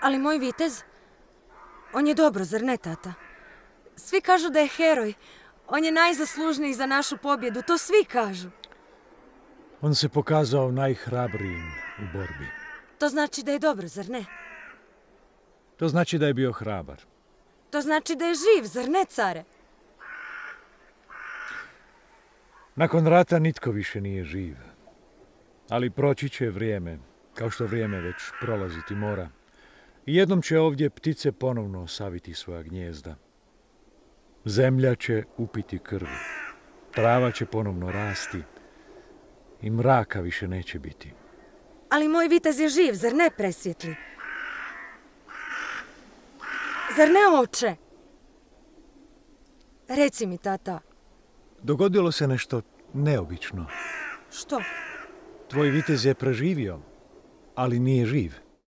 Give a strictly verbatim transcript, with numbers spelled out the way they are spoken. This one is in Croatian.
Ali moj vitez, on je dobro, zar ne, tata? Svi kažu da je heroj. On je najzaslužniji za našu pobjedu, to svi kažu. On se pokazao najhrabrijim u borbi. To znači da je dobro, zar ne? To znači da je bio hrabar. To znači da je živ, zar ne, care? Nakon rata nitko više nije živ. Ali proći će vrijeme, kao što vrijeme već prolaziti mora. I jednom će ovdje ptice ponovno saviti svoja gnijezda. Zemlja će upiti krv. Trava će ponovno rasti. I mraka više neće biti. Ali moj vitez je živ, zar ne, presvjetli? Zar ne, oče? Reci mi, tata. Dogodilo se nešto neobično. Što? Tvoj vitez je preživio, ali nije živ.